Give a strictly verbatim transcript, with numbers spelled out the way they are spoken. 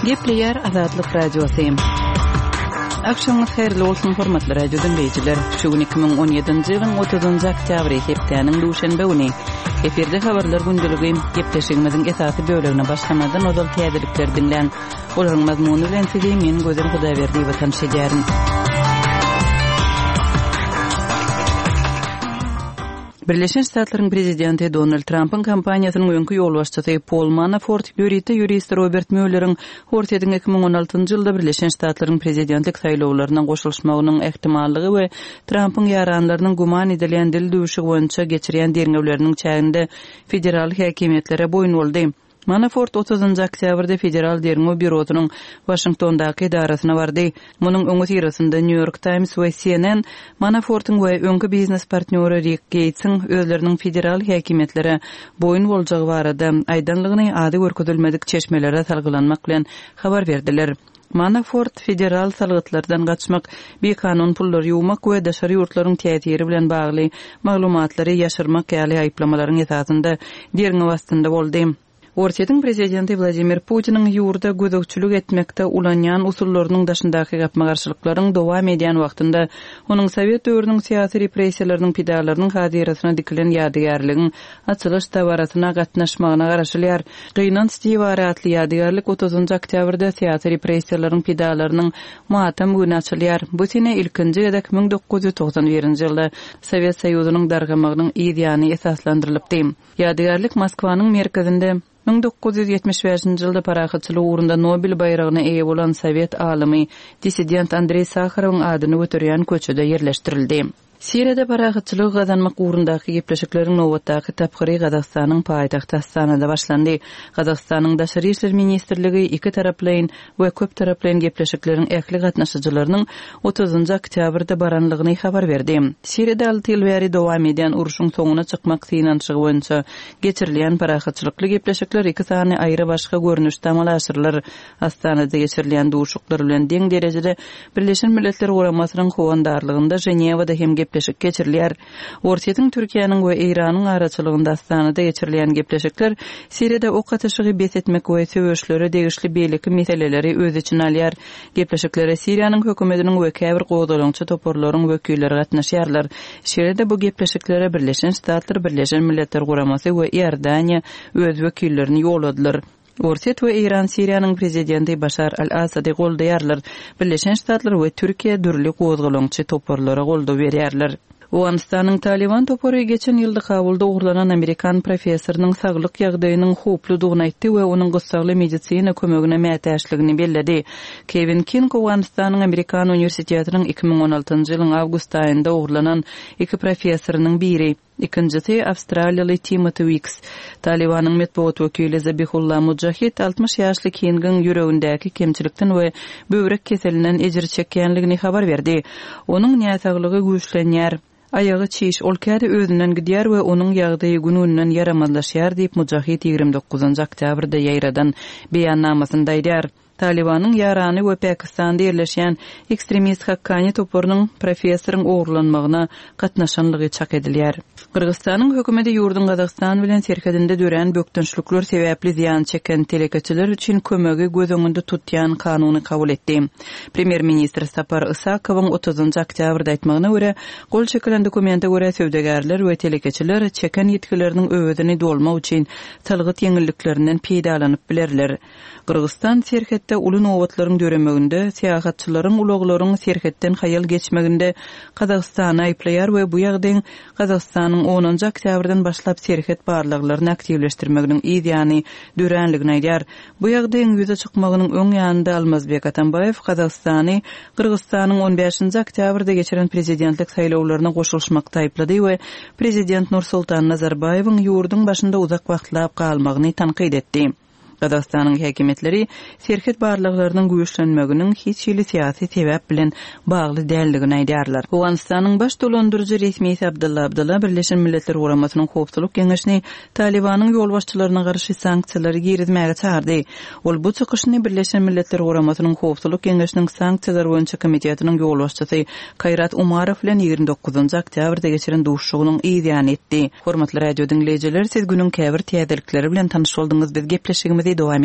Gepleýär Azatlyk Radiosy. Agşamyňyz haýyrly bolsun, hormatly radio diňleýjiler. Şu gün iki müň on ýedinji ýylyň otuzynjy oktýabry, hepdäniň duşenbe güni. Efirde habarlar gündeligi gepleşigimiziň esasy bölegine başlamazdan ozal täzelikleri diňläň. Olaryň mazmuny bilen sizi men Gözel Hudaýberdiýewa tanyş edýärin. Birleşen Ştatlaryň prezidenti Donald Trampyň kampaniýasynyň öňki ýolbaşçysy Pol Manafort ýörite ýurist Robert Muelleriň Orsýetiň iki müň on altynjy ýylda Birleşen Ştatlaryň prezidentlik saýlawlaryna goşulyşmagynyň ähtimallygy we Trampyň ýaranlarynyň güman edilýän dil düwşügi boýunça geçirýän derňewleriniň çäginde federal häkimiýetlere boýun boldy. Manafort otuzynjy oktýabrda Federal derňew býurosynyň Waşingtondaky edarasyna bardy. Munuň öňüsyrasynda New York Times we C N N Manafortyň we öňki biznes partnýory Rick Geýtsiň özleriniň federal häkimiýetlere boýun boljagy barada aýdanlygyny ady görkezilmedik çeşmelere salgylanmak bilen habar berdiler. Manafort federal salgytlardan gaçmak, bikanun pullary ýuwmak we daşary ýurtlaryň täsiri bilen bagly maglumatlary ýaşyrmak ýaly aýyplamalaryň esasynda derňew astynda boldy. Orsýetiň prezidenti Wladimir Putiniň ýurda gözegçilik etmekde ulanýan usullarynyň daşyndaky gapma-garşylyklaryň dowam edýän wagtynda onuň Sowet döwrüniň syýasy repressiýalarynyň pidalarynyň hazyrasyna dikilen ýadygärligiň açylyş dabarasyna gatnaşmagyna garaşylýar. Gynanç diwary atly ýadygärlik otuzynjy oktýabrda syýasy repressiýalaryň pidalarynyň matam güni açylýar. Bu sene ilkinji gezek müň dokuz ýüz togsan birinji ýylda Sowet Soýuzynyň dargamagynyň yz ýany esaslandyrylypdy. Ýadygärlik Moskwanyň merkezinde müň dokuz ýüz ýetmiş bäşinji ýylda parahatçylyk ugrunda Nobel baýragyna eýe bolan Sowet alymy dissident Andreý Saharowyň adyny göterýän köçede ýerleşdirildi. Siriýada parahatçylygy gazanmak ugrundaky gepleşikleriň nobatdaky tapgyry Gazagystanyň paýtagty Astanada başlandy. Gazagystanyň Daşary işler ministrligi iki taraplaýyn we köp taraplaýyn gepleşikleriň ähli gatnaşyjylarynyň otuzynjy oktýabrda baranlygyny habar berdi. Siriýada alty ýyl bäri dowam edýän urşuň soňuna çykmak synanyşygy boýunça geçirilýän parahatçylykly gepleşikler iki sany aýry başga görnüşde amala aşyrylar. Astanada geçirilýän duşuklar bilen deň derejede Birleşen Milletler Guramasynyň howandarlygynda Ženewada hem gepleşik geçirilýär. Orsýetiň, Türkiýäniň we Eýranyň araçylygynda Astanada geçirilýän gepleşikler Siriýada ok atyşygy bes etmek we söweşlere degişli beýleki meseleleri öz içine alýar. Gepleşiklere Siriýanyň hökümetiniň we käbir gozgalaňçy toparlaryň wekilleri gatnaşýarlar. Şeýle-de bu gepleşiklere Birleşen Ştatlar, Birleşen Milletler Guramasy we Iordaniýa öz wekillerini ýolladylar. Orsýet we Eýran Siriýanyň prezidenti Başar al-Asady goldaýarlar. Birleşen Ştatlar we Türkiýe dürli gozgalaňçy toparlara goldaw berýärler. Owganystanyň Taliban topary geçen ýylda Kabulda ogurlanan Amerikan professorynyň saglyk ýagdaýynyň howpludygyny aýtdy we onuň gyssagly medisina kömegine mätäçligini belledi. Kevin King Owganystanyň Amerikan uniwersitetiniň iki müň on altynjy ýylyň awgust aýynda ogurlanan iki professorynyň biri. Ikincisi Awstraliýaly Timothy Weeks. Talibanyň metbugat wekili Zabihullah Mujahid altmyş ýaşly Kingiň ýüregindäki kemçilikden we böwrek keselinden ejir çekýänligini habar berdi. Onuň näsaglygy güýçlenýär. Aýagy çiş, ol käde özünden gidýär we onuň ýagdaýy gün-günden ýaramazlaşýar diýip Mujahid ýigrimi dokuzynjy oktýabrda ýaýradan beýannamasynda aýdýar. Talibanyň ýarany we Pakistanda ýerleşýän ekstremist Hakkani toparynyň professoryň ogurlanmagyna gatnaşanlygy çak edilýär. Gyrgyzystanyň hökümeti ýurduň Gazagystan bilen serhedinde dörän bökdençlikler sebäpli zyýan çeken telekeçiler üçin kömegi göz öňünde tutýan kanuny kabul etdi. Premýer-ministr Sapar Isakowyň otuzynjy oktýabrda aýtmagyna görä, gol çekilen dokumente görä söwdagärler we telekeçiler çeken ýitgileriniň öwezini dolmak üçin salgyt ýeňilliklerinden peýdalanyp bilerler. Gyrgyzystan serhetde uly nobatlaryň döremeginde, syýahatçylaryň ulaglaryň serhetden haýal geçmeginde Gazagystany aýyplaýar we bu ýagdaýyň Gazagystanyň onunjy oktýabrdan başlap serhet barlaglaryny aktiwleşdirmeginiň yz ýany döränligini aýdýar. Bu ýagdaýyň ýüze çykmagynyň öň ýanynda Almazbek Atambaýew Gazagystany Gyrgyzystanyň on bäşinji oktýabrda geçiren prezidentlik saýlawlaryna goşulyşmakda aýyplady we prezident Nursultan Nazarbaýewiň ýurduň başynda uzak wagtlap galmagyny tankyt etdi. Gazagystanyň häkimiýetleri serhet barlaglarynyň güýçlenmeginiň hiç hili syýasy sebäp bilen bagly däldigini aýdýarlar. Owganystanyň baş dolandyryjy resmisi Abdullah Abdullah Birleşen Milletler Guramasynyň Howpsuzlyk Geňeşini Talibanyň ýolbaşçylaryna garşy sanksiýalary girizmäge çagyrdy. Ol bu çykyşyny Birleşen Milletler Guramasynyň Howpsuzlyk Geňeşiniň sanksiýalar boýunça komitetiniň ýolbaşçysy Kaýrat Umarow bilen ýigrimi dokuzynjy oktýabrda geçiren duşuşygynyň yz ýany etdi. Hormatly radio diňleýjiler, siz günüň käbir täzelikleri bilen tanyş bolduňyz. Biz gepleşigimizi dowam